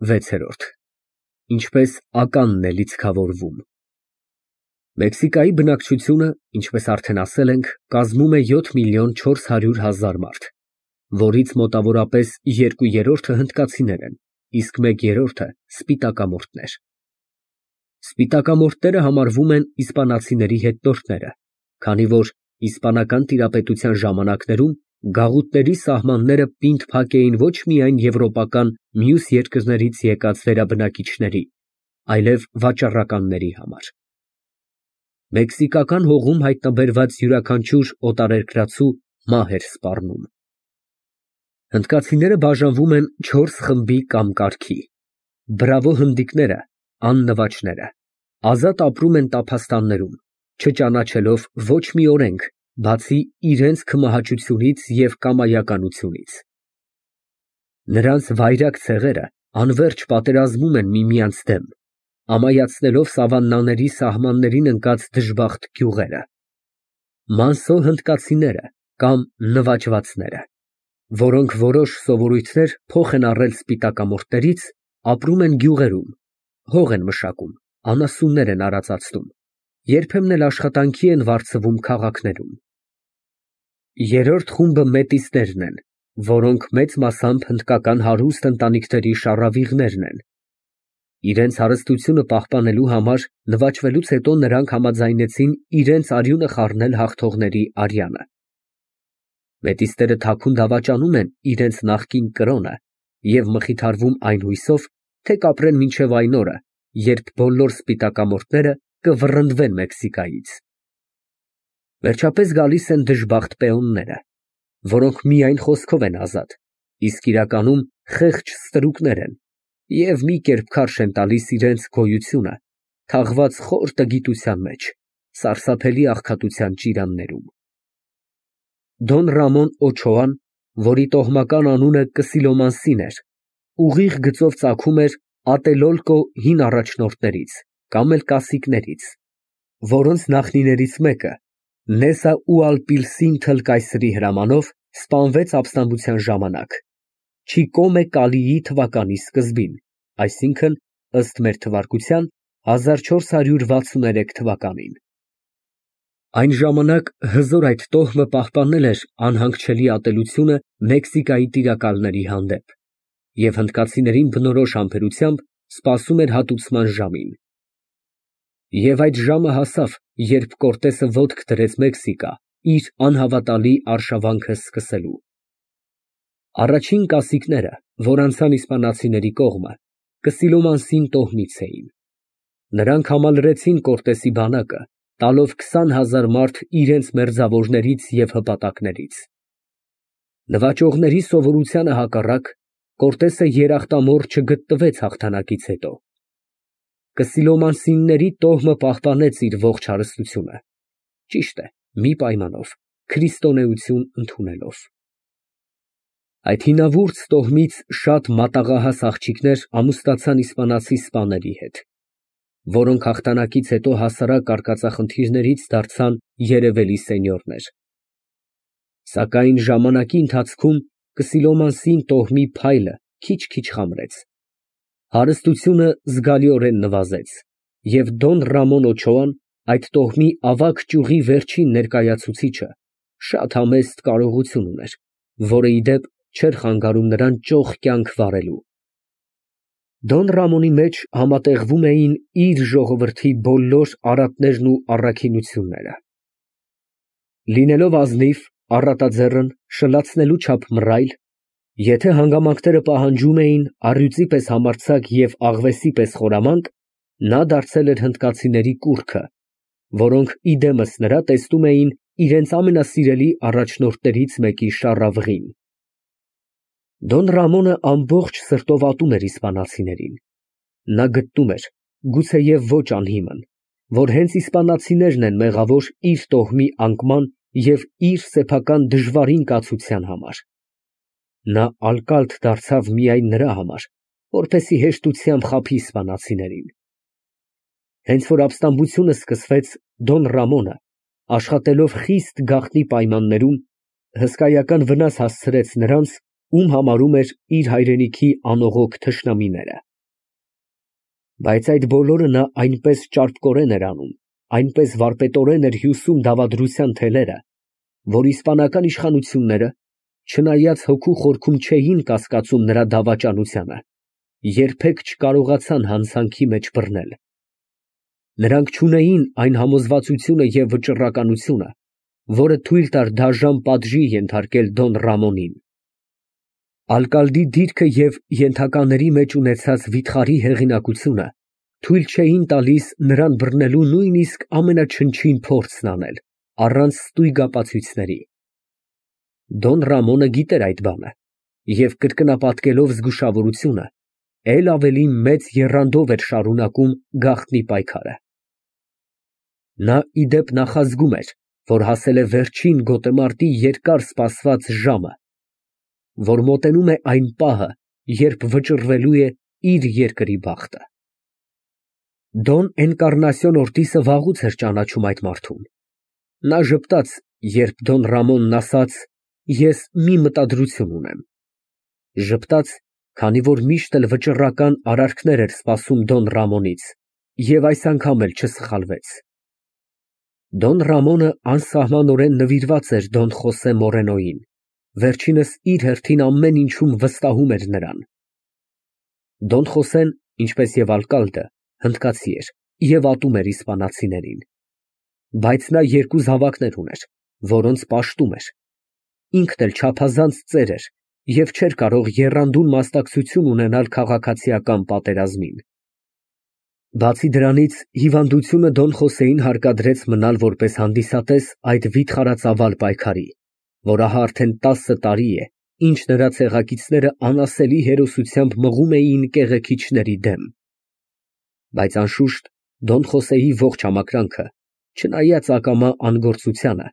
6 Ինչպես ականն է լիցքավորվում։ Մեքսիկայի բնակչությունը, ինչպես արդեն ասել ենք, կազմում է 7 միլիոն 400 հազար մարդ, որից մոտավորապես 2/3-ը հնդկացիներ են, իսկ 1/3-ը սպիտակամորթներ։ Սպիտակամորթները համարվում են իսպանացիների հետնորդները, քանի որ իսպանական տիրապետության ժամանակներում գաղութների սահմանները պինդ փակ էին ոչ միայն եվրոպական մյուս երկրներից եկած վերաբնակիչների, այլև վաճառականների համար։ Մեքսիկական հողում հայտնաբերված յուրաքանչյուր օտարերկրացու մահ էր սպառնում։ Հնդկացիները բաժանվում են 4 խմբի կամ կարգի։ Բրավո հնդիկները, աննվաճները, ազատ ապրում են տափաստաններում, չճանաչելով ոչ մի օրենք, բացի իրենց քմահաճությունից և կամայականությունից։ Նրանց վայրագ ցեղերը անվերջ պատերազմում են միմյանց դեմ, ամայացնելով սավաննաների սահմաններին ընկած դժբախտ գյուղերը։ Մանսո հնդկացիները կամ նվաճվածները, որոնք որոշ սովորույթներ փոխ են առել սպիտակամորթներից, ապրում են գյուղերում, հող են մշակում, անասուններ են արածացնում, երբեմն էլ աշխատանքի են վարձվում քաղաքներում։ Երրորդ խումբը մետիսներն են, որոնք մեծ մասամբ հնդկական հարուստ ընտանիքների շառավիղներն են։ Իրենց հարստությունը պահպանելու համար նվաճվելուց հետո նրանք համաձայնեցին իրենց արյունը խառնել հաղթողների արյանը։ Մետիսները թաքուն դավաճանում են իրենց նախկին կրոնը և մխիթարվում այն հույսով, թե կապրեն մինչև այն օրը, երբ բոլոր սպիտակամորթները կվռնդվեն Մեքսիկայից։ Վերջապես գալիս են դժբախտ պեոնները, որոնք միայն խոսքով են ազատ, իսկ իրականում խեղճ ստրուկներ են և մի կերպ քարշ են տալիս իրենց գոյությունը, թաղված խոր տգիտության մեջ, սարսափելի աղքատության ճիրաններում։ Դոն Ռամոն Օչոան, որի տոհմական անունը Կսիլոմանսին էր, ուղիղ գծով ծագում էր Ատելոլկո հին առաջնորդներից կամ էլ կասիկներից, որոնց նախնիներից մեկը Նեսա Ուալպիլսին կայսրի հրամանով սպանվեց ապստամբության ժամանակ, Չիկոմե Կալիի թվականի սկզբին, այսինքն ըստ մեր թվարկության 1463 թվականին։ Այն ժամանակ հզոր այդ տոհմը պահպանել էր անհանգչելի ատելությունը Մեքսիկայի տիրակալների հանդեպ և հնդկացիներին բնորոշ համբերությամբ սպասում էր հատուցման ժամին։ Եվ այդ ժամը հասավ, երբ Կորտեսը ոտք դրեց Մեքսիկա, իր անհավատալի արշավանքը սկսելու։ Առաջին կասիկները, որ անցան իսպանացիների կողմը, Կսիլոմանսին տոհմից էին։ Նրանք համալրեցին Կորտեսի բանակը, տալով 20,000 մարդ իրենց մերձավորներից և հպատակներից։ Նվաճողների սովորությանը հակառակ, Կորտեսը երախտամոռ չգտնվեց հաղթանակից հետո։ Կսիլոմանսինների տոհմը պահպանեց իր ողջ հարստությունը, ճիշտ է, մի պայմանով, քրիստոնեություն ընդունելով։ Այդ հինավուրց տոհմից շատ մատաղահաս աղջիկներ ամուսնացան իսպանացի սպաների հետ, որոնք հաղթանակից հետո հասարակ արկածախնդիրներից դարձան երևելի սենյորներ։ Սակայն ժամանակի ընթացքում Կսիլոմանսին տոհմի փայլը քիչ-քիչ խամրեց, հարստությունը զգալիորեն նվազեց, և Դոն Ռամոն Օչոան, այդ տոհմի ավագ ճյուղի վերջին ներկայացուցիչը, շատ համեստ կարողություն ուներ, որը, ի դեպ, չէր խանգարում նրան ճոխ կյանք վարելու։ Դոն Ռամոնի մեջ համատեղվում էին իր ժողովրդի բոլոր արատներն ու առաքինությունները։ Լինելով ազնիվ, առատաձեռն, շլացնելու չափ մռայլ, եթե հանգամանքները պահանջում էին առյուծի պես համարձակ և աղվեսի պես խորամանկ, նա դարձել էր հնդկացիների կուռքը, որոնք իդեմս նրա տեսնում էին իրենց ամենասիրելի առաջնորդներից մեկի շառավղին։ Դոն Ռամոնը ամբողջ սրտով ատում էր իսպանացիներին։ Նա գտնում էր, գուցեև ոչ անհիմն, որ հենց իսպանացիներն են մեղավոր իր տոհմի անկման և իր սեփական դժվարին կացության համար։ Նա ալկալտ դարձավ միայն նրա համար, որպեսզի հեշտությամբ խաբի իսպանացիներին։ Հենց որ ապստամբությունը սկսվեց, Դոն Ռամոնը, աշխատելով խիստ գաղտնի պայմաններում, հսկայական վնաս հասցրեց նրանց, ում համարում էր իր հայրենիքի անողոք թշնամիները։ Բայց այդ բոլորը նա այնպես ճարպկորեն էր անում, այնպես վարպետորեն էր հյուսում դավադրության թելերը, որ իսպանական իշխանությունները, չնայած հոգու խորքում չէին կասկածում նրա դավաճանությանը, երբեք չկարողացան հանցանքի մեջ բռնել։ Նրանք չունեին այն համոզվածությունը և վճռականությունը, որը թույլ տար դաժան պատժի ենթարկել Դոն Ռամոնին։ Ալկալդի դիրքը և ենթակաների մեջ ունեցած վիթխարի հեղինակությունը թույլ չէին տալիս նրան բռնելու նույնիսկ ամենաչնչին փորձն անել, առանց ստույգ ապացույցների։ Դոն Ռամոնը գիտեր այդ բանը և կրկնապատկելով զգուշավորությունը, էլ ավելի մեծ եռանդով էր շարունակում գաղտնի պայքարը։ Նա ի դեպ նախազգում էր, որ հասել է վերջին գոտեմարտի երկար սպասված ժամը, որ մոտենում է այն պահը, երբ վճռվելու է իր երկրի բախտը։ Դոն Էնկառնասիոն Օրտիսը վաղուց էր ճանաչում այդ մարդուն։ Նա ժպտաց, երբ Դոն Ռամոնն ասաց. «Ես մի մտադրություն ունեմ»։ Ժպտաց, քանի որ միշտ էլ վճռական արարքներ էր սպասում Դոն Ռամոնից, և այս անգամ էլ չսխալվեց։ Դոն Ռամոնը անսահմանորեն նվիրված էր Դոն Խոսե Մորենոյին, վերջինս իր հերթին ամեն ինչում վստահում էր նրան։ Դոն Խոսեն, ինչպես և ալկալդը, հնդկացի էր և ատում էր իսպանացիներին։ Բայց նա երկու զավակներ ուներ, որոնց պաշտում էր։ Ինքն էլ չափազանց ծեր էր և չէր կարող եռանդուն մասնակցություն ունենալ քաղաքացիական պատերազմին։ Բացի դրանից, հիվանդությունը Դոն Խոսեին հարկադրեց մնալ որպես հանդիսատես այդ վիթխարածավալ պայքարի, որ ահա արդեն 10 տարի է, ինչ նրա ցեղակիցները անասելի հերոսությամբ մղում էին կեղեքիչների դեմ։ Բայց անշուշտ Դոն Խոսեի ողջ համակրանքը, չնայած ակամա անգործությանը,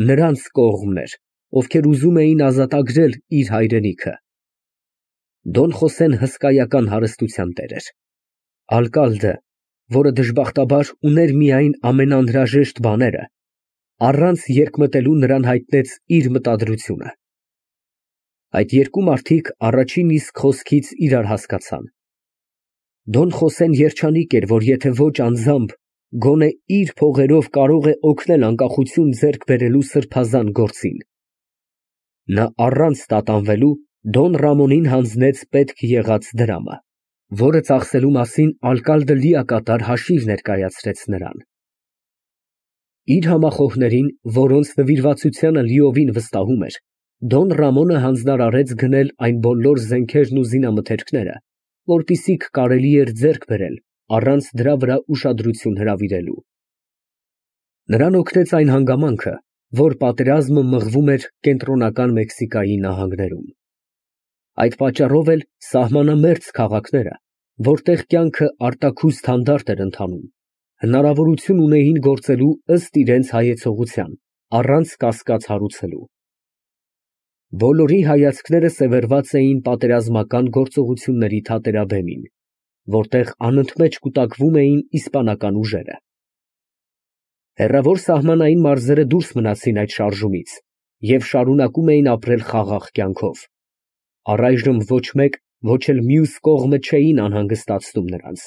նրանց կողմն էր, ովքեր ուզում էին ազատագրել իր հայրենիքը։ Դոն Խոսեն հսկայական հարստության տեր էր։ Ալկալդը, որը դժբախտաբար ուներ միայն ամենաանհրաժեշտ բաները, առանց երկմտելու նրան հայտնեց իր մտադրությունը։ Այդ երկու մարդիկ առաջին իսկ խոսքից իրար հասկացան։ Դոն Խոսեն երջանիկ էր, որ եթե ոչ անձամբ, գոնե իր փողերով կարող է օգնել անկախություն ձեռք բերելու սրբազան գործին։ Նա առանց տատանվելու Դոն Ռամոնին հանձնեց պետք եղած դրամը, որը ծախսելու մասին ալկալդը լիակատար հաշիվ ներկայացրեց նրան։ Իր համախոհներին, որոնց նվիրվածությանը լիովին վստահում էր, Դոն Ռամոնը հանձնարարեց գնել այն բոլոր զենքերն ու զինամթերքները, որպիսիք կարելի էր ձեռք բերել առանց դրա վրա ուշադրություն հրավիրելու։ Նրան օգնեց այն հանգամանքը, որ պատերազմը մղվում էր կենտրոնական Մեքսիկայի նահանգներում։ Այդ պատճառով էլ սահմանամերձ քաղաքները, որտեղ կյանքը արտաքուստ հանդարտ էր ընթանում, հնարավորություն ունեին գործելու ըստ իրենց հայեցողության, առանց կասկած հարուցելու։ Բոլորի հայացքները սևեռված էին պատերազմական գործողությունների թատերաբեմին, որտեղ անընդմեջ կուտակվում էին իսպանական ուժերը։ Հեռավոր սահմանային մարզերը դուրս մնացին այդ շարժումից և շարունակում էին ապրել խաղաղ կյանքով։ Առայժմ ոչ մեկ, ոչ էլ մյուս կողմը չէին անհանգստացնում նրանց։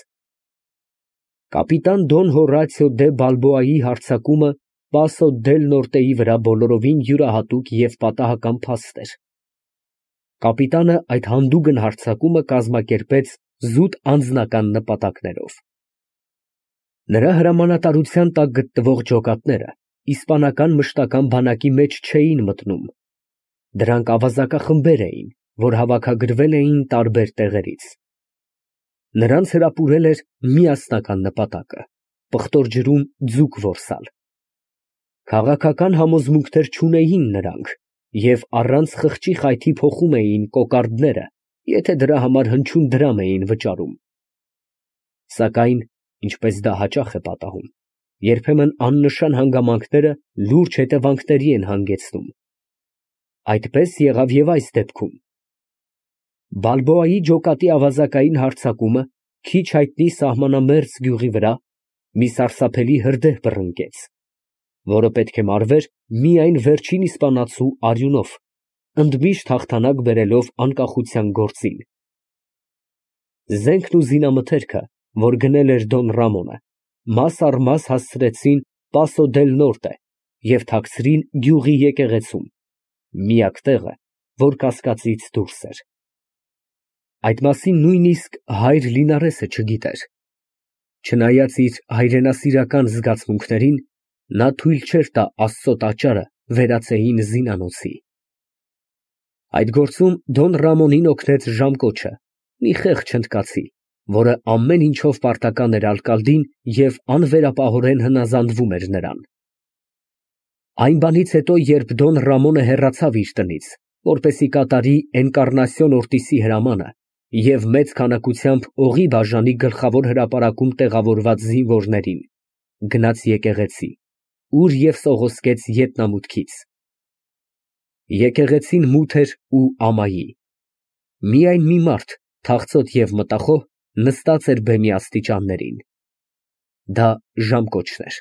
Կապիտան Դոն Հորացիո դե Բալբոայի հարձակումը Պասո դել Նորտեի վրա բոլորովին յուրահատուկ և պատահական փաստ էր։ Կապիտանը այդ հանդուգն հարձակումը կազմակերպեց զուտ անձնական նպատակներով։ Նրա հրամանատարության տակ գտնվող ջոկատները իսպանական մշտական բանակի մեջ չէին մտնում։ Դրանք ավազակախմբեր էին, որ հավաքագրվել էին տարբեր տեղերից։ Նրանց հրապուրել էր միասնական նպատակը՝ պղտոր ջրում ձուկ որսալ։ Քաղաքական համոզմունքներ չունեին նրանք և առանց խղճի խայթի փոխում էին կոկարդները, եթե դրա համար հնչյուն դրամ էին վճարում։ Սակայն, ինչպես դա հաճախ է պատահում, երբեմն աննշան հանգամանքները լուրջ հետևանքների են հանգեցնում։ Այդպես եղավ և այս դեպքում։ Բալբոայի ջոկատի ավազակային հարձակումը քիչ հայտնի սահմանամերձ գյուղի վրա մի սարսափելի հրդեհ բռնկեց, որը պետք է մարվեր միայն վերջին իսպանացու արյունով, ընդմիշտ հաղթանակ բերելով անկախության գործին։ Զենքն ու զինամթերքը որ գնել էր Դոն Ռամոնը, մաս առ մաս հասցրեցին Պասո դել Նորտե և թաքցրին գյուղի եկեղեցում, միակ տեղը, որ կասկածից դուրս էր։ Այդ մասին նույնիսկ հայր Լինարեսը չգիտեր։ Չնայած իր հայրենասիրական զգացմունքներին, նա թույլ չէր տա Աստծո տաճարը վերածեին զինանոցի։ Այդ գործում Դոն Ռամոնին օգնեց ժամկոչը, մի խեղճ հնդկացի, որը ամեն ինչով պարտական էր ալկալդին և անվերապահորեն հնազանդվում էր նրան։ Այն բանից հետո, երբ Դոն Ռամոնը հեռացավ իր տնից, որպեսզի կատարի Էնկառնասիոն Օրտիսի հրամանը և մեծ քանակությամբ օղի բաժանի գլխավոր հրապարակում տեղավորված զինվորներին, գնաց եկեղեցի, ուր և սողոսկեց ետնամուտքից։ Եկեղեցին մութ էր ու ամայի։ Միայն մի մարդ, թախծոտ և մտախոհ, նստած էր բեմի աստիճաններին։ Դա ժամկոչն էր։